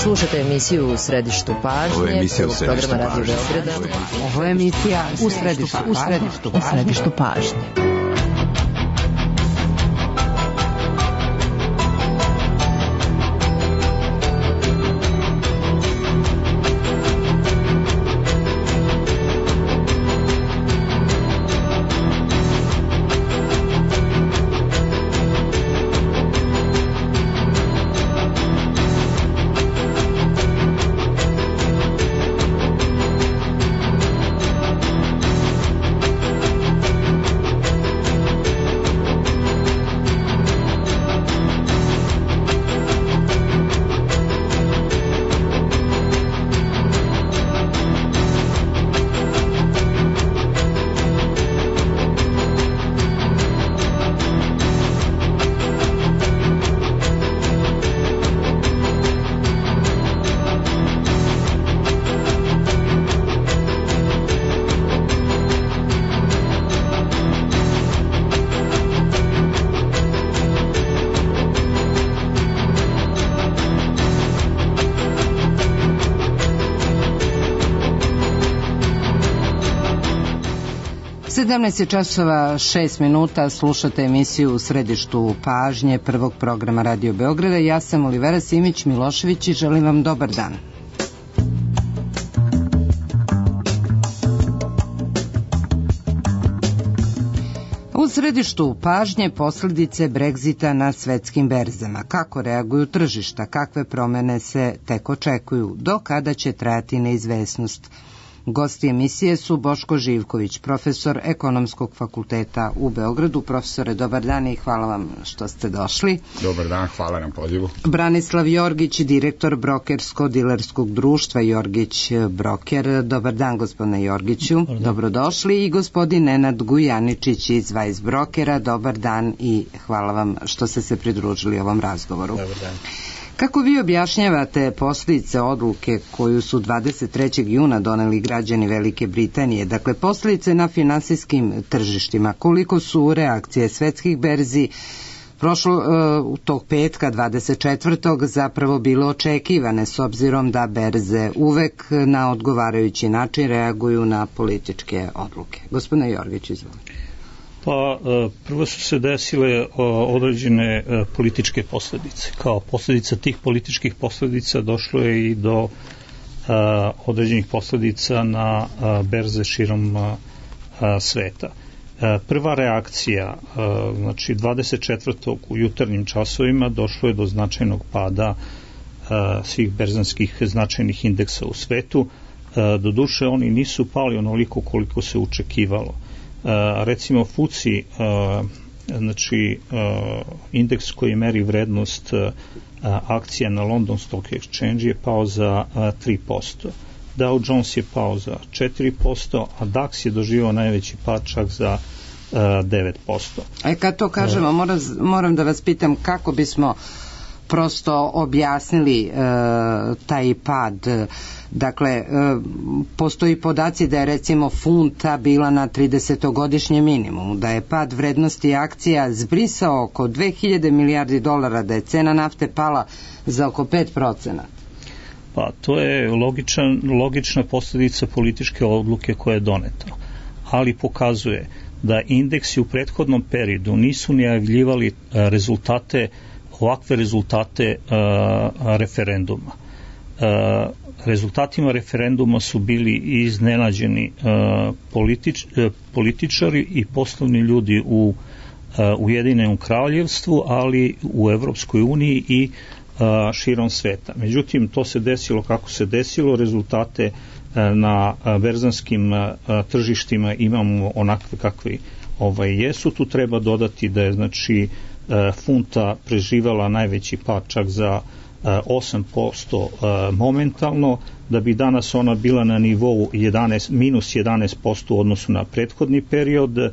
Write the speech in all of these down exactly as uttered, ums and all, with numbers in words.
Slušajte emisiju U središtu pažnje. Ovo je emisija U središtu pažnje. Ovo je emisija U središtu, u središtu, u središtu pažnje. sedamnaest je časova šest minuta, slušate emisiju U središtu pažnje prvog programa Radio Beograda. Ja sam Olivera Simić Milošević i želim vam dobar dan. U središtu pažnje posljedice Brexita na svetskim berzama. Kako reaguju tržišta, kakve promene se tek očekuju, do kada će trajati neizvesnost. Gosti emisije su Boško Živković, profesor Ekonomskog fakulteta u Beogradu. Profesore, dobar dan i hvala vam što ste došli. Dobar dan, hvala na pozivu. Branislav Jorgić, direktor brokersko-dilerskog društva Jorgić Broker. Dobar dan, gospodine Jorgiću. Dobrodošli. I gospodin Nenad Gujaničić iz Weiss Brokera. Dobar dan i hvala vam što ste se pridružili ovom razgovoru. Dobar dan. Kako vi objašnjavate posljedice odluke koju su dvadeset trećeg juna doneli građani Velike Britanije, dakle posljedice na finansijskim tržištima, koliko su reakcije svetskih berzi prošlo uh, tog petka dvadeset četvrtog zapravo bilo očekivane, s obzirom da berze uvek na odgovarajući način reaguju na političke odluke? Gospodine Jorgić, izvolite. Pa prvo su se desile određene političke posljedice. Kao posljedica tih političkih posljedica došlo je i do određenih posljedica na berze širom sveta. Prva reakcija, znači dvadeset četvrtog u jutarnjim časovima došlo je do značajnog pada svih berzanskih značajnih indeksa u svetu. Doduše oni nisu pali onoliko koliko se očekivalo. Uh, recimo F U C I, uh, znači uh, indeks koji meri vrednost uh, akcija na London Stock Exchange je pao za uh, tri posto. Dow Jones je pao za četiri posto, a DAX je doživio najveći pad čak za uh, devet posto. E kad to kažemo, moram, moram da vas pitam kako bismo prosto objasnili e, taj pad. Dakle, e, postoji podaci da je recimo funta bila na tridesetogodišnjem minimumu, da je pad vrednosti akcija zbrisao oko dve hiljade milijardi dolara, da je cena nafte pala za oko pet procenata. Pa to je logičan, logična posljedica političke odluke koja je doneta, ali pokazuje da indeksi u prethodnom periodu nisu najavljivali rezultate ovakve rezultate uh, referenduma. Uh, rezultatima referenduma su bili iznenađeni uh, politič, uh, političari i poslovni ljudi u uh, Ujedinjenom kraljevstvu, ali u Evropskoj uniji i uh, širom sveta. Međutim, to se desilo kako se desilo, rezultate uh, na uh, berzanskim uh, tržištima imamo onakve kakve ovaj, jesu. Tu treba dodati da je znači funta preživjela najveći pad čak za osam posto momentalno, da bi danas ona bila na nivou jedanaest, minus jedanaest posto u odnosu na prethodni period.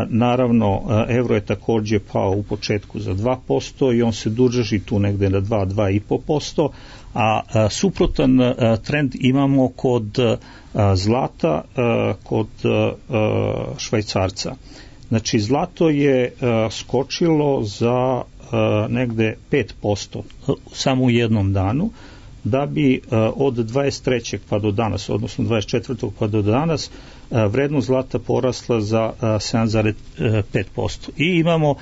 Naravno, evro je također pao u početku za dva posto i on se drži tu negde na dva do dva i po posto, a suprotan trend imamo kod zlata, kod švajcarca. Znači, zlato je uh, skočilo za uh, negde pet posto samo u jednom danu, da bi od dvadeset trećeg pa do danas, odnosno dvadeset četvrtog pa do danas, vrednost zlata porasla za sedam zarez pet posto. I imamo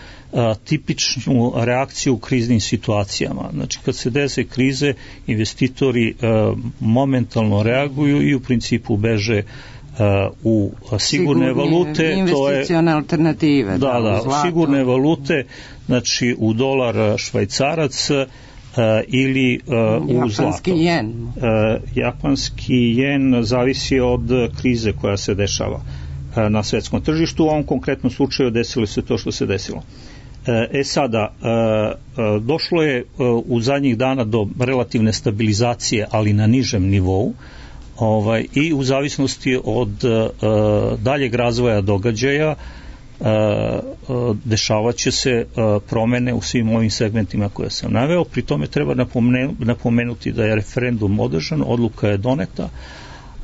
tipičnu reakciju u kriznim situacijama. Znači, kad se dese krize, investitori momentalno reaguju i u principu beže u sigurne Sigurni, valute, investicione alternative. Da, da, da, zlato. Sigurne valute, znači u dolar švajcarac uh, ili uh, u zlato. Japanski jen. Uh, japanski jen zavisi od krize koja se dešava uh, na svetskom tržištu. U ovom konkretnom slučaju desilo se to što se desilo. Uh, e sada, uh, uh, došlo je uh, u zadnjih dana do relativne stabilizacije, ali na nižem nivou. Ovaj, i u zavisnosti od uh, daljeg razvoja događaja uh, uh, dešavat će se uh, promene u svim ovim segmentima koje sam naveo. Pri tome treba napomenu, napomenuti da je referendum održan, odluka je doneta, uh,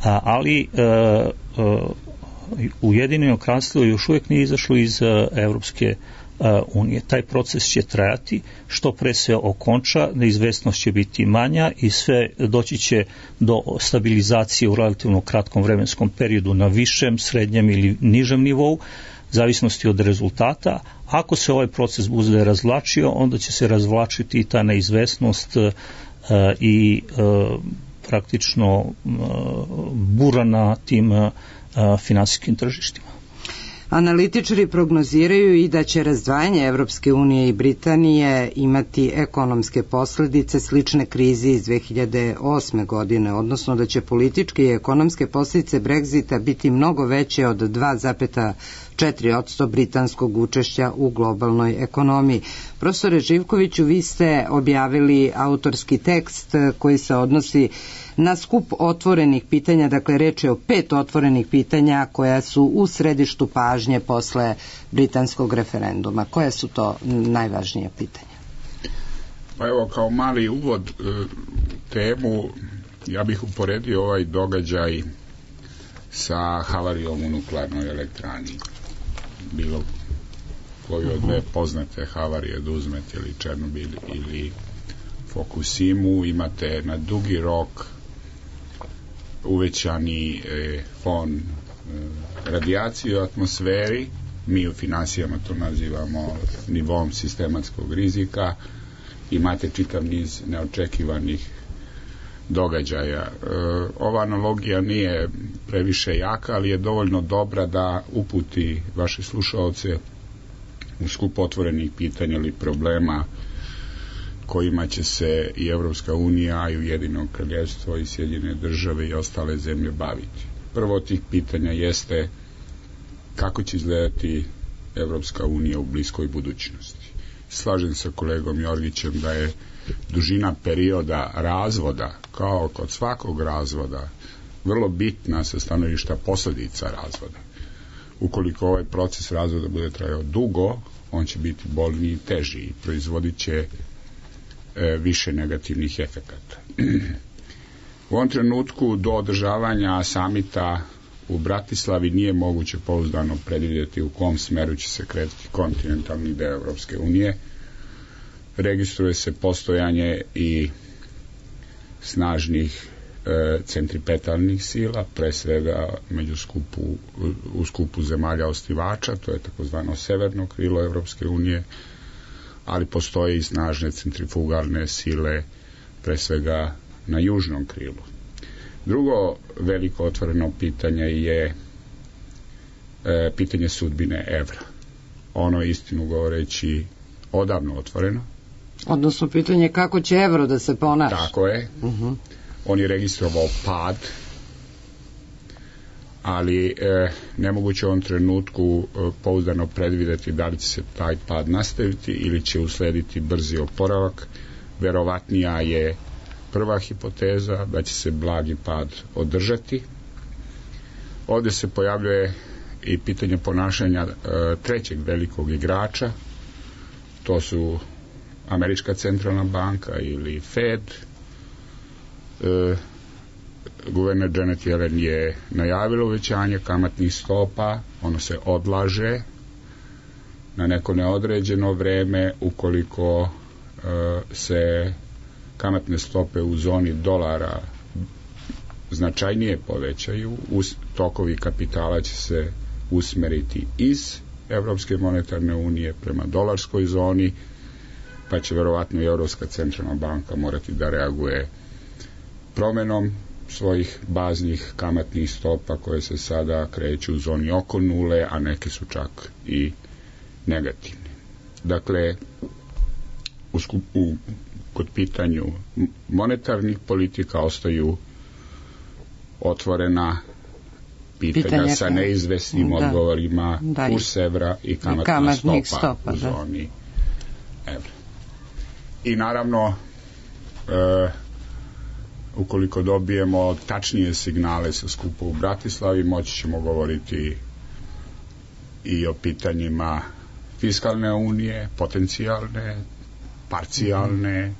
ali uh, uh, Ujedinjeno kraljevstvo još uvijek nije izašlo iz uh, Evropske unije. Taj proces će trajati, što pre se okonča, neizvesnost će biti manja i sve doći će do stabilizacije u relativno kratkom vremenskom periodu na višem, srednjem ili nižem nivou, zavisnosti od rezultata. Ako se ovaj proces bude razvlačio, onda će se razvlačiti i ta neizvesnost uh, i uh, praktično uh, bura na tim uh, finansijskim tržištima. Analitičari prognoziraju i da će razdvajanje Evropske unije i Britanije imati ekonomske posledice slične krizi iz dve hiljade osme godine, odnosno da će političke i ekonomske posljedice Brexita biti mnogo veće od dva zarez četiri posto britanskog učešća u globalnoj ekonomiji. Profesore Živkoviću, vi ste objavili autorski tekst koji se odnosi na skup otvorenih pitanja, dakle reč je o pet otvorenih pitanja koja su u središtu pažnje posle britanskog referenduma. Koje su to najvažnije pitanja? Pa evo, kao mali uvod temu, ja bih uporedio ovaj događaj sa havarijom u nuklearnoj elektrani. Bilo koju od dve poznate havarije da uzmete, ili Černobil ili Fukushimu, imate na dugi rok uvećani e, fon e, radijacije u atmosferi. Mi u finansijama to nazivamo nivom sistematskog rizika. Imate čitav niz neočekivanih događaja. E, ova analogija nije previše jaka, ali je dovoljno dobra da uputi vaše slušaoce u skup otvorenih pitanja ili problema kojima će se i Evropska unija i Ujedinjeno kraljevstvo i Sjedinjene države i ostale zemlje baviti. Prvo od tih pitanja jeste kako će izgledati Evropska unija u bliskoj budućnosti. Slažem se sa kolegom Jorgićem da je dužina perioda razvoda, kao kod svakog razvoda, vrlo bitna sa stanovišta posljedica razvoda. Ukoliko ovaj proces razvoda bude trajao dugo, on će biti bolniji i teži i proizvodit će e, više negativnih efekata. U ovom trenutku do održavanja samita u Bratislavi nije moguće pouzdano predvidjeti u kom smeru će se kretati kontinentalni deo Evropske unije. Registruje se postojanje i snažnih e, centripetalnih sila, pre svega među skupu, u skupu zemalja osnivača, to je takozvano severno krilo Evropske unije, ali postoje i snažne centrifugalne sile, pre svega na južnom krilu. Drugo veliko otvoreno pitanje je e, pitanje sudbine evra. Ono je, istinu govoreći, odavno otvoreno. Odnosno pitanje kako će evro da se ponaša. Tako je. Uh-huh. On je registrovao pad, ali e, nemoguće u ovom trenutku e, pouzdano predvideti da li će se taj pad nastaviti ili će uslediti brzi oporavak. Verovatnija je prva hipoteza da će se blagi pad održati. Ovdje se pojavljuje i pitanje ponašanja e, trećeg velikog igrača, to su Američka centralna banka ili Fed. E, guverner Janet Yellen je najavila uvećanje kamatnih stopa, ono se odlaže na neko neodređeno vreme ukoliko e, se kamatne stope u zoni dolara značajnije povećaju, tokovi kapitala će se usmeriti iz Evropske monetarne unije prema dolarskoj zoni, pa će verovatno i Evropska centralna banka morati da reaguje promenom svojih baznih kamatnih stopa koje se sada kreću u zoni oko nule, a neke su čak i negativne. Dakle, u, u, kod pitanju monetarnih politika ostaju otvorena pitanja Pitanje sa neizvesnim da, odgovorima da, kurs evra i kamatna kamatnih stopa, stopa u zoni da. evra. I naravno, e, ukoliko dobijemo tačnije signale sa skupa u Bratislavi, moći ćemo govoriti i o pitanjima fiskalne unije, potencijalne, parcijalne,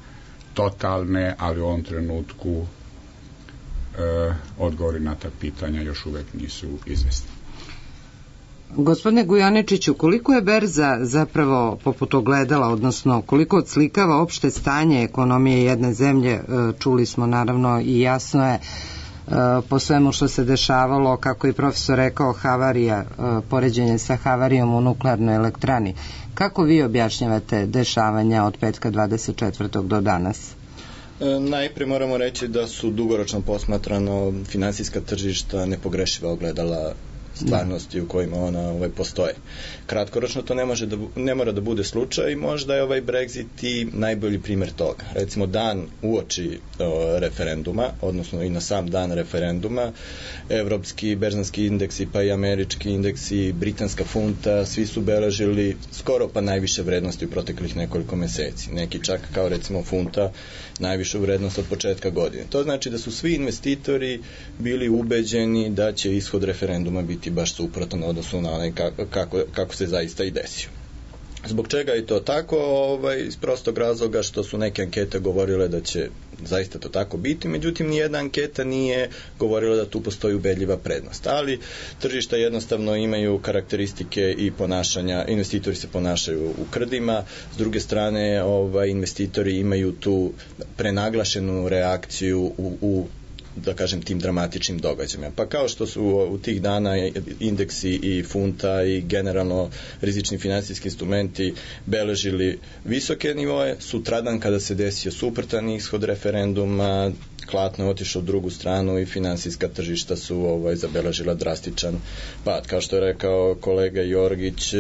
totalne, ali u ovom trenutku e, odgovori na ta pitanja još uvek nisu izvesni. Gospodine Gujaničiću, koliko je berza zapravo poput ogledala, odnosno koliko odslikava opšte stanje ekonomije jedne zemlje, čuli smo naravno i jasno je po svemu što se dešavalo, kako je profesor rekao, havarija, poređenje sa havarijom u nuklearnoj elektrani. Kako vi objašnjavate dešavanja od petka dvadeset četvrtog do danas? Najprije moramo reći da su dugoročno posmatrano finansijska tržišta nepogrešiva ogledala stvarnosti u kojima ona ovaj, postoje. Kratkoročno to ne, može da, ne mora da bude slučaj i možda je ovaj Brexit i najbolji primjer toga. Recimo dan uoči o, referenduma, odnosno i na sam dan referenduma, evropski berzanski indeksi pa i američki indeksi, britanska funta, svi su beležili skoro pa najviše vrednosti u proteklih nekoliko meseci. Neki čak kao recimo funta najvišu vrednost od početka godine. To znači da su svi investitori bili ubeđeni da će ishod referenduma biti baš suprotan odnosno na onaj kako, kako se zaista i desio. Zbog čega je to tako? Ovaj, iz prostog razloga što su neke ankete govorile da će zaista to tako biti, međutim nijedna anketa nije govorila da tu postoji ubedljiva prednost. Ali tržišta jednostavno imaju karakteristike i ponašanja, investitori se ponašaju u krdima, s druge strane ovaj, investitori imaju tu prenaglašenu reakciju u, u da kažem tim dramatičnim događajima. Pa kao što su u tih dana indeksi i funta i generalno rizični finansijski instrumenti beležili visoke nivoe, sutradan kada se desio suprotan ishod referenduma, klatno je otišao u drugu stranu i finansijska tržišta su ovaj, zabeležila drastičan pad. Kao što je rekao kolega Jorgić,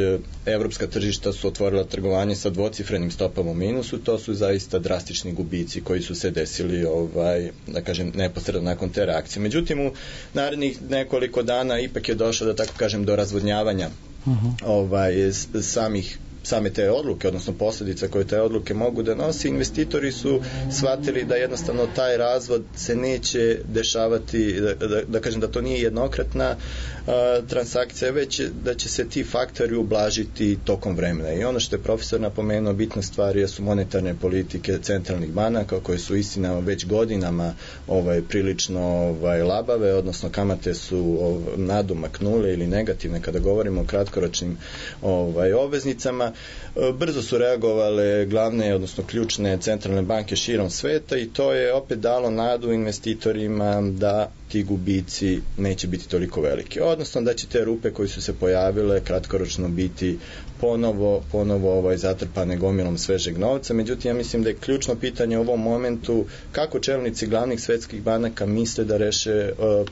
evropska tržišta su otvorila trgovanje sa dvocifrenim stopama u minusu, to su zaista drastični gubici koji su se desili ovaj, da kažem, neposredno nakon te reakcije. Međutim, u narednih nekoliko dana ipak je došlo, da tako kažem, do razvodnjavanja uh-huh. ovaj, samih same te odluke, odnosno posljedice koje te odluke mogu da nosi. Investitori su shvatili da jednostavno taj razvod se neće dešavati, da, da, da kažem da to nije jednokratna a, transakcija, već da će se ti faktori ublažiti tokom vremena. I ono što je profesor napomenuo, bitna stvar je su monetarne politike centralnih banaka koje su istina već godinama ovaj, prilično ovaj, labave, odnosno kamate su ovaj, nadomak nule ili negativne kada govorimo o kratkoročnim ovaj, obveznicama. Brzo su reagovale glavne, odnosno ključne centralne banke širom sveta i to je opet dalo nadu investitorima da ti gubici neće biti toliko veliki. Odnosno da će te rupe koje su se pojavile kratkoročno biti ponovo, ponovo ovaj, zatrpane gomilom svežeg novca. Međutim, ja mislim da je ključno pitanje u ovom momentu kako čelnici glavnih svetskih banaka misle da reše uh,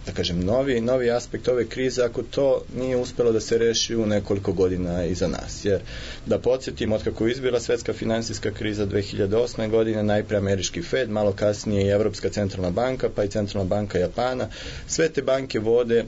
da kažem, novi, novi aspekt ove krize, ako to nije uspelo da se reši u nekoliko godina iza nas. Jer, da podsjetim, otkako je izbila svetska finansijska kriza dve hiljade osme. godine, najpre američki Fed, malo kasnije i Evropska centralna banka, pa i centralna banka Japana, sve te banke vode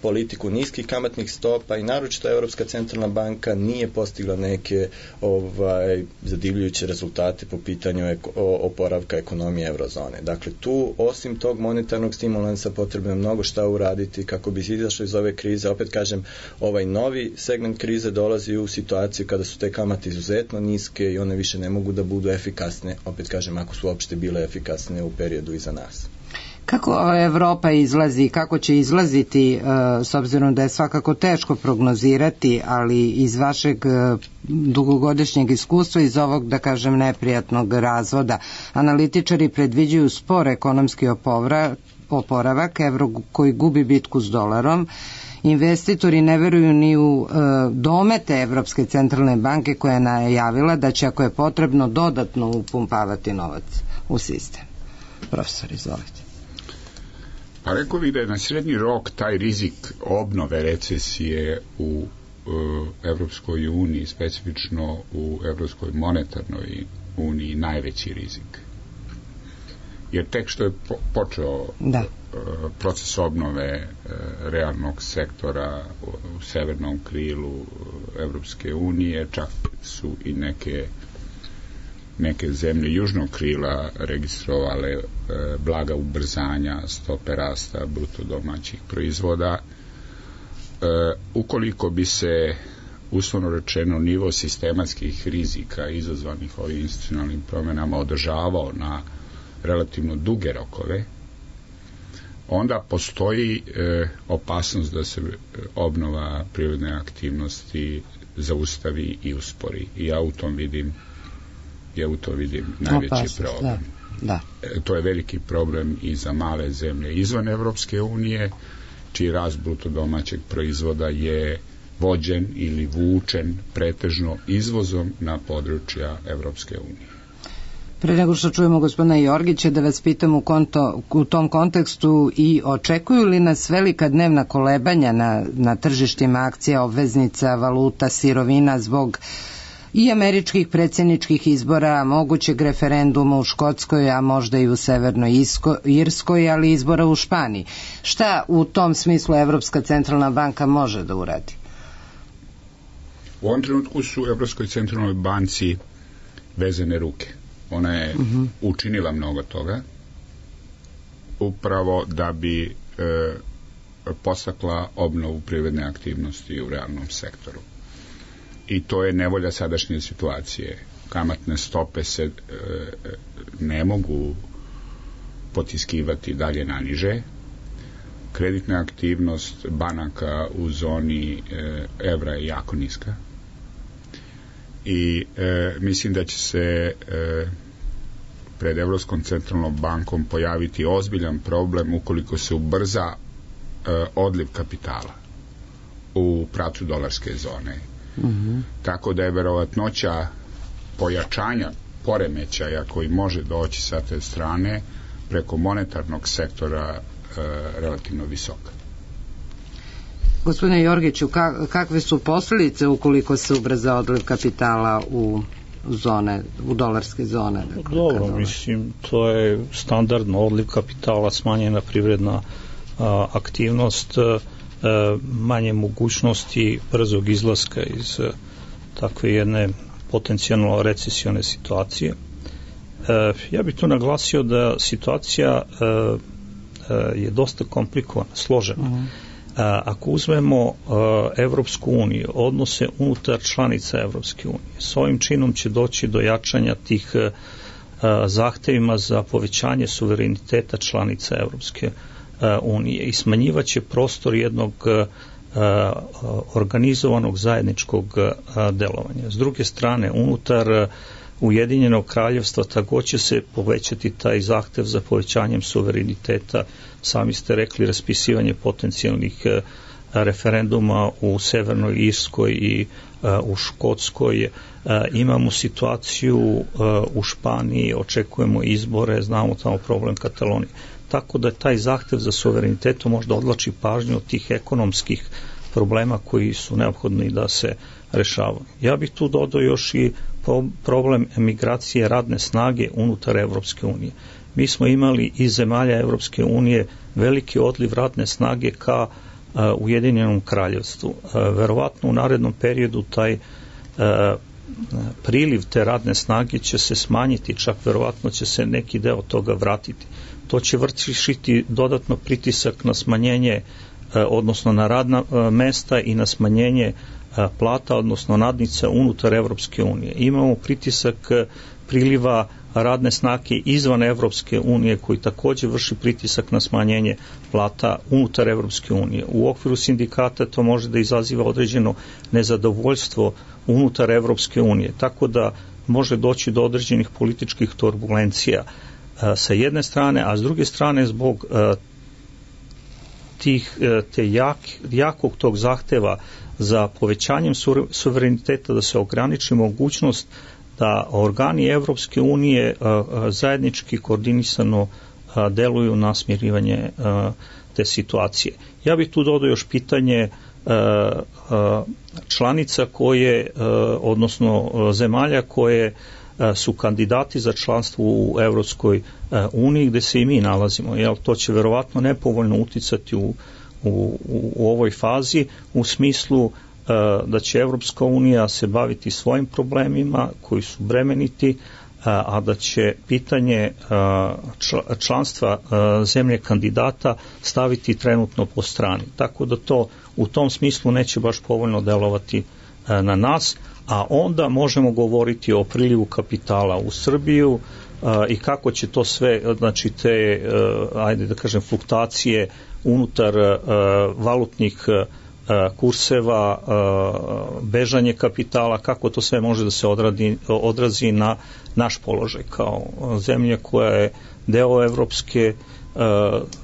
politiku niskih kamatnih stopa i naročito Evropska centralna banka nije postigla neke ovaj, zadivljujuće rezultate po pitanju eko, oporavka ekonomije eurozone. Dakle, tu osim tog monetarnog stimulansa potrebno je mnogo šta uraditi kako bi se izašlo iz ove krize. Opet kažem, ovaj novi segment krize dolazi u situaciju kada su te kamate izuzetno niske i one više ne mogu da budu efikasne, opet kažem, ako su uopšte bile efikasne u periodu iza nas. Kako Evropa izlazi, kako će izlaziti, s obzirom da je svakako teško prognozirati, ali iz vašeg dugogodišnjeg iskustva, iz ovog, da kažem, neprijatnog razvoda, analitičari predviđaju spor ekonomski oporavak, evro koji gubi bitku s dolarom, investitori ne veruju ni u e, domete Evropske centralne banke koja je najavila da će, ako je potrebno, dodatno upumpavati novac u sistem. Profesor, izvolite. Pa rekao bih da je na srednji rok taj rizik obnove recesije u e, Evropskoj uniji, specifično u Evropskoj monetarnoj uniji, najveći rizik. Jer tek što je po, počeo da. e, proces obnove e, realnog sektora u, u severnom krilu Evropske unije, čak su i neke neke zemlje južnog krila registrovale e, blaga ubrzanja stope rasta bruto domaćih proizvoda. E, ukoliko bi se uslovno rečeno nivo sistematskih rizika izazvanih ovim institucionalnim promjenama održavao na relativno duge rokove, onda postoji e, opasnost da se obnova privredne aktivnosti zaustavi i uspori. I ja u tom vidim ja u to vidim najveći opasnost, problem. Da, da. E, to je veliki problem i za male zemlje izvan Evropske unije, čiji rast bruto domaćeg proizvoda je vođen ili vučen pretežno izvozom na područja Evropske unije. Pre nego što čujemo gospodina Jorgića, da vas pitam u, konto, u tom kontekstu i očekuju li nas velika dnevna kolebanja na, na tržištima akcija, obveznica, valuta, sirovina zbog i američkih predsjedničkih izbora, mogućeg referenduma u Škotskoj, a možda i u Severnoj Irskoj, ali izbora u Španiji. Šta u tom smislu Evropska centralna banka može da uradi? U ovom trenutku su u Evropskoj centralnoj banci vezane ruke. Ona je uh-huh. učinila mnogo toga upravo da bi e, postakla obnovu privredne aktivnosti u realnom sektoru. I to je nevolja sadašnje situacije. Kamatne stope se e, ne mogu potiskivati dalje na niže. Kreditna aktivnost banaka u zoni e, evra je jako niska. I e, mislim da će se e, pred Evropskom centralnom bankom pojaviti ozbiljan problem ukoliko se ubrza e, odliv kapitala u pravcu dolarske zone. Mm-hmm. Tako da je verovatnoća pojačanja poremećaja koji može doći sa te strane preko monetarnog sektora e, relativno visoka. Gospodine Jorgiću, kakve su posljedice ukoliko se ubrza odliv kapitala u zone, u dolarske zone? Dakle, Dobro, mislim, to je standardno odliv kapitala, smanjena privredna a, aktivnost, a, manje mogućnosti brzog izlaska iz a, takve jedne potencijalno recesione situacije. A, ja bih tu naglasio da situacija a, a, je dosta komplikovana, složena. Uh-huh. Ako uzmemo Evropsku uniju, odnose unutar članica Evropske unije, s ovim činom će doći do jačanja tih zahtevima za povećanje suvereniteta članica Evropske unije i smanjivaće prostor jednog organizovanog zajedničkog delovanja. S druge strane, unutar Ujedinjenog kraljevstva također će se povećati taj zahtev za povećanjem suvereniteta. Sami ste rekli, raspisivanje potencijalnih referenduma u Severnoj Irskoj i u Škotskoj. Imamo situaciju u Španiji, očekujemo izbore, znamo tamo problem Katalonije. Tako da taj zahtev za suverenitetom možda odlači pažnju od tih ekonomskih problema koji su neophodni da se rešavaju. Ja bih tu dodao još i problem emigracije radne snage unutar Evropske unije. Mi smo imali iz zemalja Evropske unije veliki odliv radne snage ka uh, Ujedinjenom kraljevstvu. Uh, verovatno u narednom periodu taj uh, priliv te radne snage će se smanjiti, čak verovatno će se neki deo toga vratiti. To će vršiti dodatno pritisak na smanjenje, uh, odnosno na radna uh, mesta i na smanjenje plata, odnosno nadnica unutar Evropske unije. Imamo pritisak priliva radne snage izvan Evropske unije koji takođe vrši pritisak na smanjenje plata unutar Evropske unije. U okviru sindikata to može da izaziva određeno nezadovoljstvo unutar Evropske unije, tako da može doći do određenih političkih turbulencija sa jedne strane, a s druge strane zbog tih, te jak, jakog tog zahteva za povećanjem suvereniteta da se ograniči mogućnost da organi Evropske unije zajednički koordinisano deluju na smirivanje te situacije. Ja bih tu dodao još pitanje članica koje, odnosno zemalja koje su kandidati za članstvo u Evropskoj uniji gde se i mi nalazimo. Jel, to će verovatno nepovoljno uticati u, u, u ovoj fazi u smislu da će Evropska unija se baviti svojim problemima koji su bremeniti, a da će pitanje članstva zemlje kandidata staviti trenutno po strani. Tako da to u tom smislu neće baš povoljno delovati na nas, a onda možemo govoriti o prilivu kapitala u Srbiju i kako će to sve, znači te, ajde da kažem, fluktuacije unutar valutnih kurseva, bežanje kapitala, kako to sve može da se odradi, odrazi na naš položaj kao zemlja koja je deo evropske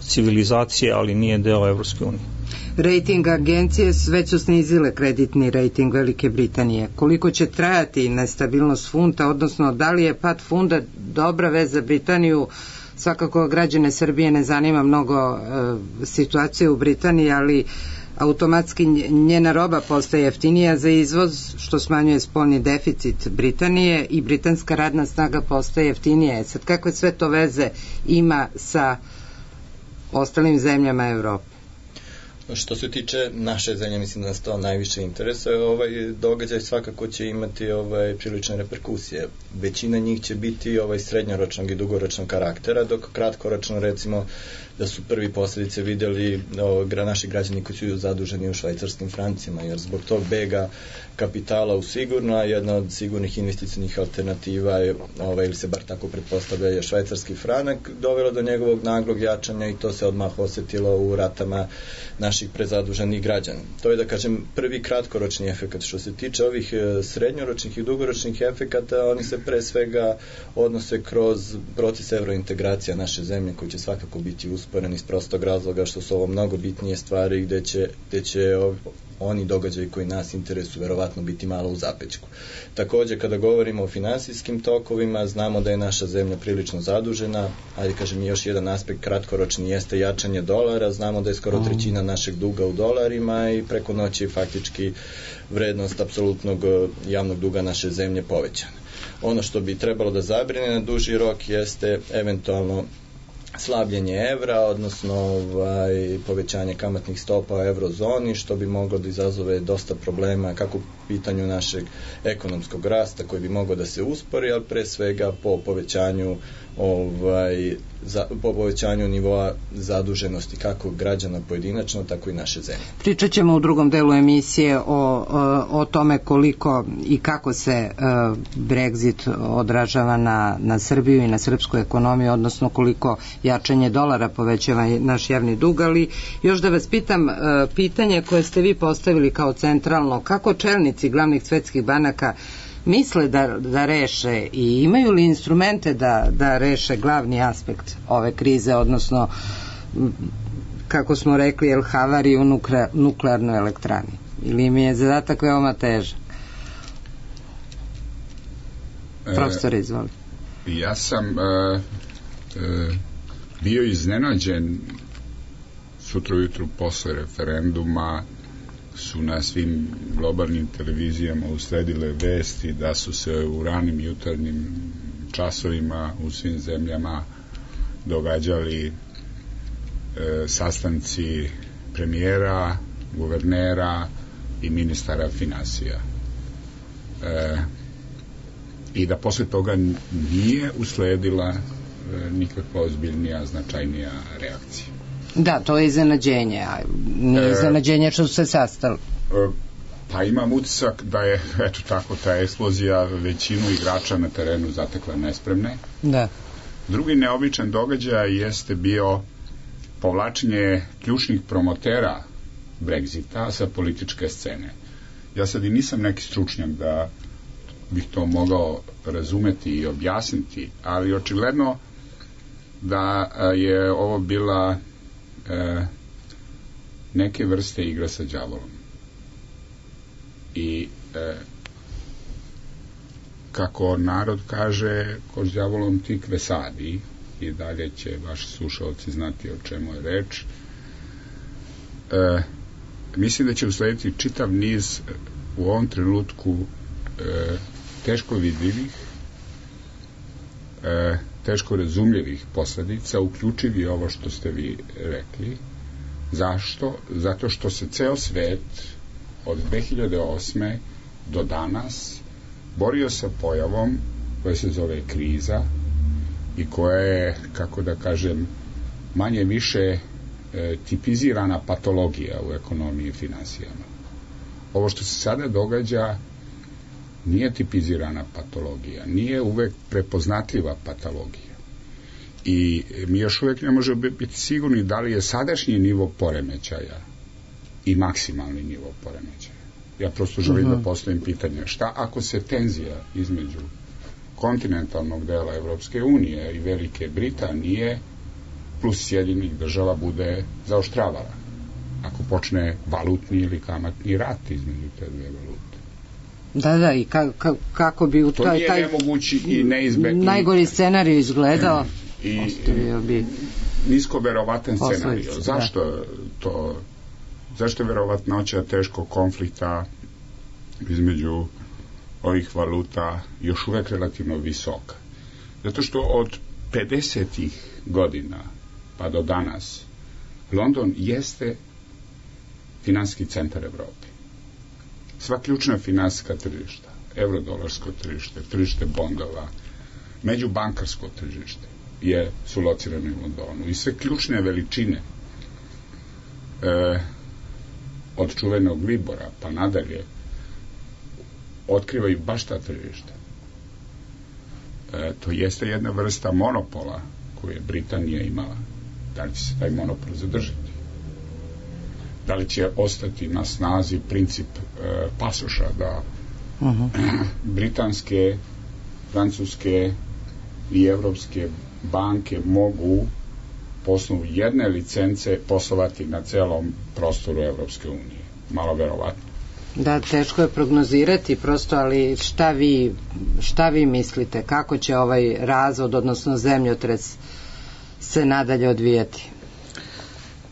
civilizacije, ali nije deo Evropske unije. Rating agencije već su snizile kreditni rating Velike Britanije. Koliko će trajati nestabilnost funta, odnosno da li je pad funta dobra vez za Britaniju? Svakako građane Srbije ne zanima mnogo e, situacije u Britaniji, ali automatski njena roba postaje jeftinija za izvoz, što smanjuje spoljni deficit Britanije i britanska radna snaga postaje jeftinija. Sad, kakve sve to veze ima sa ostalim zemljama Evrope? Što se tiče naše zemlje, mislim da nas to najviše interesuje, ovaj događaj svakako će imati ovaj prilične reperkusije. Većina njih će biti ovaj srednjoročnog i dugoročnog karaktera, dok kratkoročno, recimo, da su prvi posledice videli o, naši građani koji su zaduženi u švajcarskim francima, jer zbog tog bega kapitala u sigurno, a jedna od sigurnih investicijnih alternativa je, ovaj, ili se bar tako pretpostavlja, je švajcarski franak, dovelo do njegovog naglog jačanja i to se odmah osetilo u ratama naših prezaduženih građana. To je, da kažem, prvi kratkoročni efekat. Što se tiče ovih srednjoročnih i dugoročnih efekata, oni se pre svega odnose kroz proces evrointegracija naše zemlje, koji će svakako biti usporen iz prostog razloga što su ovo mnogo bitnije stvari gde će, gde će oni događaji koji nas interesuju verovatno biti malo u zapećku. Takođe, kada govorimo o finansijskim tokovima, znamo da je naša zemlja prilično zadužena, ali kažem još jedan aspekt kratkoročni jeste jačanje dolara, znamo da je skoro trećina našeg duga u dolarima i preko noći faktički vrednost apsolutnog javnog duga naše zemlje povećana. Ono što bi trebalo da zabrine na duži rok jeste eventualno slabljenje evra, odnosno ovaj, povećanje kamatnih stopa u eurozoni, što bi moglo da izazove dosta problema kako u pitanju našeg ekonomskog rasta koji bi mogao da se uspori, ali pre svega po povećanju ovaj, za, po povećanju nivoa zaduženosti kako građana pojedinačno, tako i naše zemlje. Pričat ćemo u drugom delu emisije o, o, o tome koliko i kako se uh, Brexit odražava na, na Srbiju i na srpsku ekonomiju, odnosno koliko jačanje dolara povećava naš javni dug, ali još da vas pitam uh, pitanje koje ste vi postavili kao centralno, kako čelnici glavnih svetskih banaka misle da, da reše i imaju li instrumente da, da reše glavni aspekt ove krize, odnosno kako smo rekli, el havariju nukle, nuklearnoj elektrani, ili mi je zadatak veoma težak? Profesor, izvoli. E, ja sam e, e, bio iznenađen sutra ujutru posle referenduma su na svim globalnim televizijama usledile vesti da su se u ranim jutarnjim časovima u svim zemljama događali e, sastanci premijera, guvernera i ministara finansija. E, I da posle toga nije usledila e, nikakva ozbiljnija, značajnija reakcija. Da, to je iznenađenje, a nije iznenađenje što su se sastali. Pa imam utisak da je, eto tako, ta eksplozija većinu igrača na terenu zatekla nespremne. Da. Drugi neobičan događaj jeste bio povlačenje ključnih promotera Brexita sa političke scene. Ja sad i nisam neki stručnjak da bih to mogao razumeti i objasniti, ali očigledno da je ovo bila e, neke vrste igra sa đavolom. I e, kako narod kaže, ko s đavolom tikve sadi, i dalje će vaši slušalci znati o čemu je reč. E, mislim da će uslediti čitav niz u ovom trenutku e, teško vidljivih, e, teško razumljivih posledica, uključivi ovo što ste vi rekli. Zašto? Zato što se ceo svet od dve hiljade osme do danas borio sa pojavom koja se zove kriza i koja je, kako da kažem, manje više e, tipizirana patologija u ekonomiji i finansijama. Ovo što se sada događa nije tipizirana patologija, nije uvek prepoznatljiva patologija. I mi još uvek ne možemo biti sigurni da li je sadašnji nivo poremećaja i maksimalni nivo poremećaja. Ja prosto želim uh-huh. da postavim pitanje, šta ako se tenzija između kontinentalnog dela Evropske unije i Velike Britanije plus Sjedinjenih država bude zaoštravala? Ako počne valutni ili kamatni rat između te dve valute. Da, da, i ka, ka, kako bi u to taj, nije taj nemogući i neizbegni najgori scenarij izgledao i ostavio bi nisko verovatan scenarij. Posljedice, zašto da. to zašto je verovatnoća teškog konflikta između ovih valuta još uvek relativno visoka? Zato što od pedesetih godina pa do danas London jeste finansijski centar Evrope. Sva ključna finansijska tržišta, eurodolarsko tržište, tržište bondova, međubankarsko tržište je su locirane u Londonu i sve ključne veličine e, od čuvenog Libora pa nadalje otkrivaju baš ta tržišta. E, to jeste jedna vrsta monopola koju je Britanija imala. Da li će se taj monopol zadržati? Da li će ostati na snazi princip e, pasoša da uh-huh. britanske, francuske i evropske banke mogu po osnovu jedne licence poslovati na celom prostoru Evropske unije? Malo verovatno. Da, teško je prognozirati prosto, ali šta vi, šta vi mislite? Kako će ovaj razvod, odnosno zemljotres se nadalje odvijati?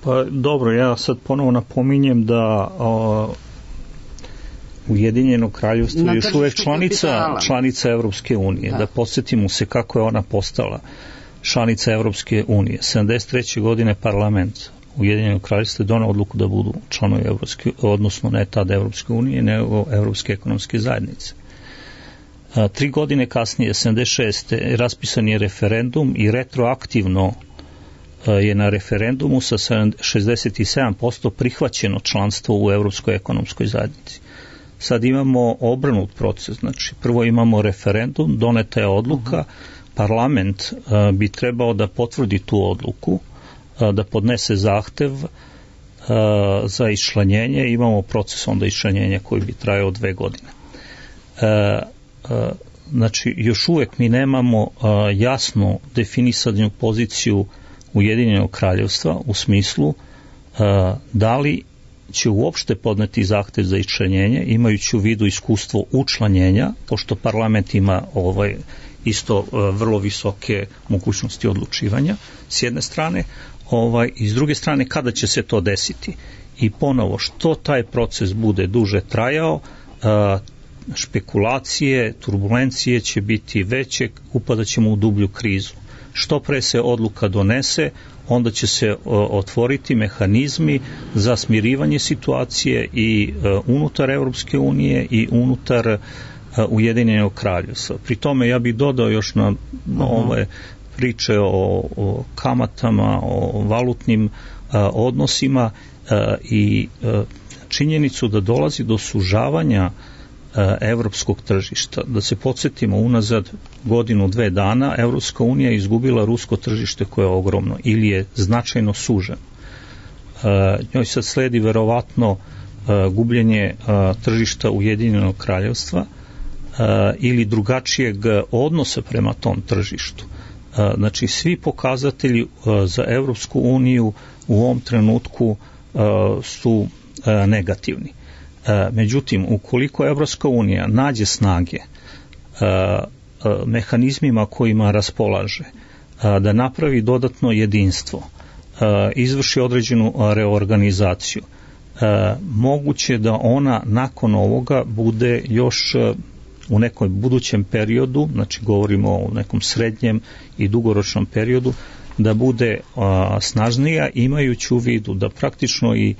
Pa dobro, ja sad ponovo napominjem da o, Ujedinjeno kraljevstvo je još uvek članica, članica Evropske unije. Da. da podsjetimo se kako je ona postala članica Evropske unije. sedamdeset treće godine parlament Ujedinjenog kraljevstva je donao odluku da budu članovi Evropske, odnosno ne tada Evropske unije, nego Evropske ekonomske zajednice. A, tri godine kasnije, sedamdeset šeste raspisan je referendum i retroaktivno a, je na referendumu sa šezdeset sedam posto prihvaćeno članstvo u Evropskoj ekonomskoj zajednici. Sad imamo obrnut proces, znači prvo imamo referendum, doneta je odluka, uh-huh. parlament a, bi trebao da potvrdi tu odluku, da podnese zahtev uh, za iščlanjenje, imamo proces onda iščlanjenja koji bi trajao dve godine. Uh, uh, znači, još uvek mi nemamo uh, jasno definisanu poziciju Ujedinjenog kraljevstva u smislu uh, da li će uopšte podneti zahtev za iščlanjenje, imajući u vidu iskustvo učlanjenja, pošto parlament ima ovaj isto uh, vrlo visoke mogućnosti odlučivanja, s jedne strane, ovaj, i s druge strane kada će se to desiti. I ponovo, što taj proces bude duže trajao, a, špekulacije, turbulencije će biti veće, upadat ćemo u dublju krizu. Što pre se odluka donese, onda će se o, otvoriti mehanizmi za smirivanje situacije i a, unutar Evropske unije i unutar a, Ujedinjenog kraljevstva. Pri tome ja bih dodao još na, na ove priče o, o kamatama, o valutnim a, odnosima a, i a, činjenicu da dolazi do sužavanja evropskog tržišta. Da se podsjetimo, unazad godinu, dve dana Evropska unija je izgubila rusko tržište koje je ogromno ili je značajno suženo. Njoj sad sledi verovatno gubljenje tržišta Ujedinjenog kraljevstva ili drugačijeg odnosa prema tom tržištu. Znači, svi pokazatelji za Evropsku uniju u ovom trenutku su negativni. Međutim, ukoliko Evropska unija nađe snage mehanizmima kojima raspolaže, da napravi dodatno jedinstvo, izvrši određenu reorganizaciju, moguće da ona nakon ovoga bude još u nekom budućem periodu, znači govorimo o nekom srednjem i dugoročnom periodu, da bude snažnija, imajući u vidu da praktično i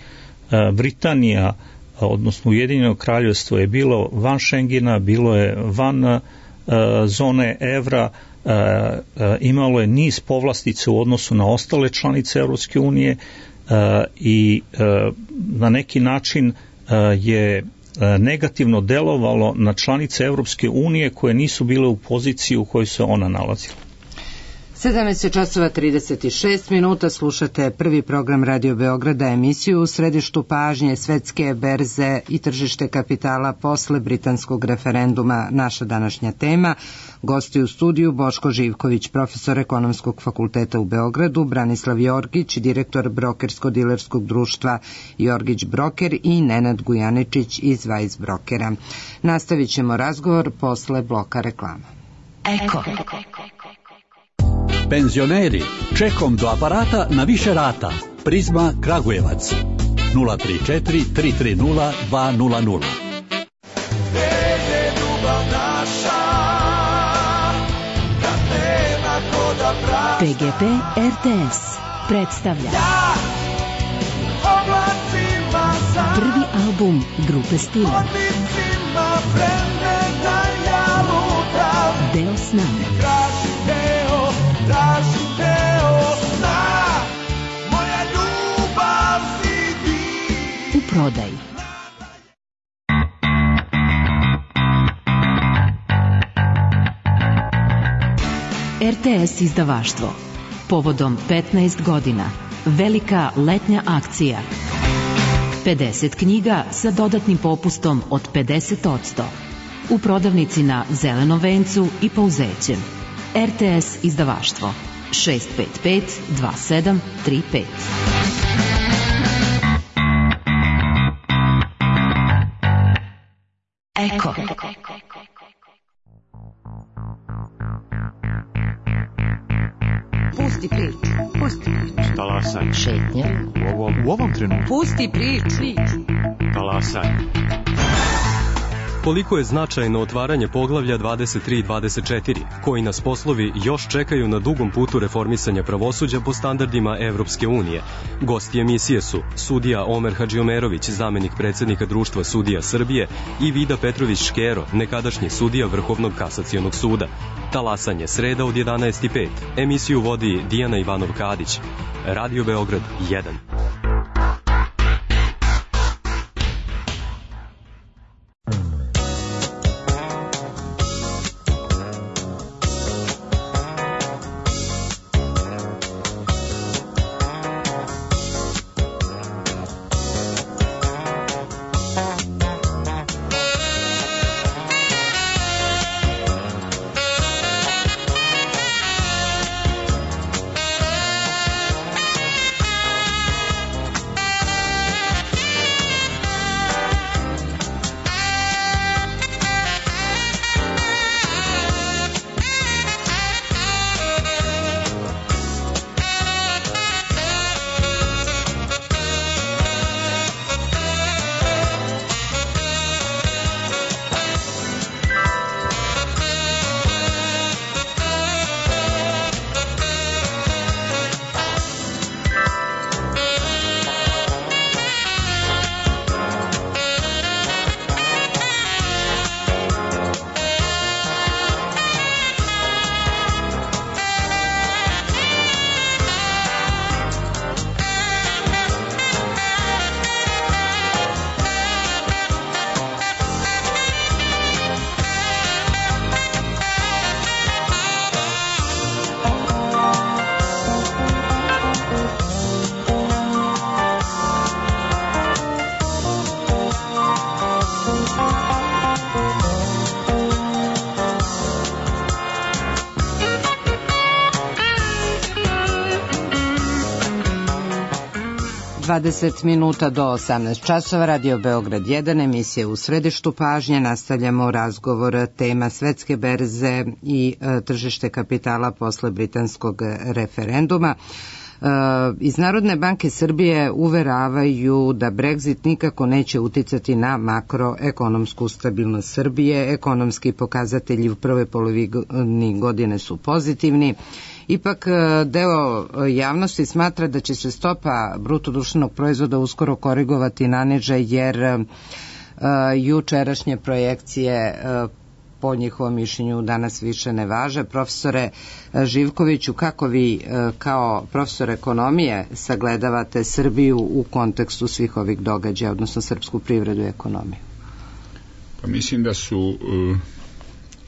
Britanija, odnosno Ujedinjeno kraljevstvo je bilo van Schengena, bilo je van uh, zone evra, uh, uh, imalo je niz povlastica u odnosu na ostale članice Evropske unije uh, i uh, na neki način uh, je uh, negativno delovalo na članice Evropske unije koje nisu bile u poziciji u kojoj se ona nalazila. sedamnaest časova trideset šest minuta, slušate prvi program Radio Beograda, emisiju u središtu pažnje svetske berze i tržište kapitala posle britanskog referenduma. Naša današnja tema, gosti u studiju Boško Živković, profesor Ekonomskog fakulteta u Beogradu, Branislav Jorgić, direktor brokersko-dilerskog društva Jorgić Broker i Nenad Gujaničić iz Weiss Brokera. Nastavit ćemo razgovor posle bloka reklama. Eko. Penzioneri, čekom do aparata na više rata. Prizma Kragujevac. nula tri četiri tri tri nula dva nula nula. P G P R T S predstavlja prvi album grupe Stila. Deo sna. Traži deo sna, moja ljubav si ti. U prodaji. R T S izdavaštvo. Povodom petnaest godina. Velika letnja akcija. pedeset knjiga sa dodatnim popustom od pedeset posto. U prodavnici na Zelenom vencu i Pouzećem. R T S izdavaštvo šest pet pet dva sedam tri pet. Eko. Pusti priču, pusti priču. Talasaj. Šetnja. U ovom, u ovom trenutku. Pusti priču. Talasaj. Koliko je značajno otvaranje poglavlja dvadeset tri i dvadeset četiri, koji nas poslovi još čekaju na dugom putu reformisanja pravosuđa po standardima Evropske unije. Gosti emisije su sudija Omer Hadžiomerović, zamenik predsjednika Društva sudija Srbije, i Vida Petrović Škero, nekadašnji sudija Vrhovnog kasacionog suda. Talasanje, sreda od jedanaest i pet. Emisiju vodi Dijana Ivanov-Kadić. Radio Beograd jedan. dvadeset minuta do osamnaest časova, Radio Beograd jedan, emisija U središtu pažnje. Nastavljamo razgovor, tema svetske berze i e, tržište kapitala posle britanskog referenduma. E, iz Narodne banke Srbije uveravaju da Brexit nikako neće uticati na makroekonomsku stabilnost Srbije. Ekonomski pokazatelji u prvoj polovini godine su pozitivni. Ipak deo javnosti smatra da će se stopa bruto društvenog proizvoda uskoro korigovati na niže, jer uh, jučerašnje projekcije uh, po njihovom mišljenju danas više ne važe. Profesore Živkoviću, kako vi uh, kao profesor ekonomije sagledavate Srbiju u kontekstu svih ovih događaja, odnosno srpsku privredu i ekonomiju? Pa mislim da su uh...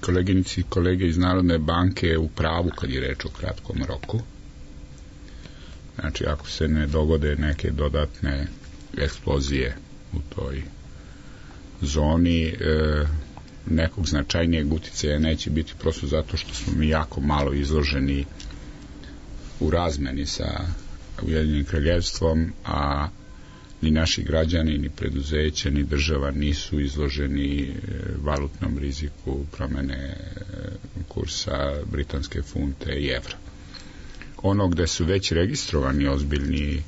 koleginici i kolege iz Narodne banke u pravu kad je reč o kratkom roku. Znači, ako se ne dogode neke dodatne eksplozije u toj zoni, e, nekog značajnijeg uticaja neće biti, prosto zato što smo mi jako malo izloženi u razmeni sa Ujedinjenim kraljevstvom, a ni naši građani, ni preduzeće, ni država nisu izloženi valutnom riziku promene kursa britanske funte i evra. Ono gde su već registrovani ozbiljni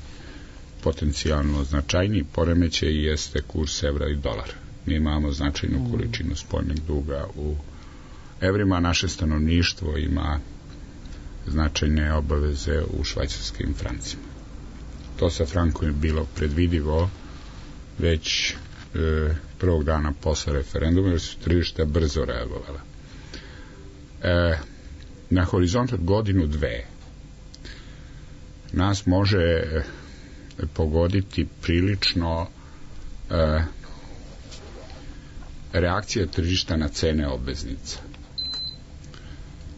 potencijalno značajni poremećaj jeste kurs evra i dolara. Mi imamo značajnu količinu spoljnog duga u evrima, naše stanovništvo ima značajne obaveze u švajcarskim francima. To sa frankom je bilo predvidivo već e, prvog dana posle referenduma, jer su tržišta brzo reagovala. E, na horizont od godinu dve nas može pogoditi prilično e, reakcija tržišta na cene obveznica.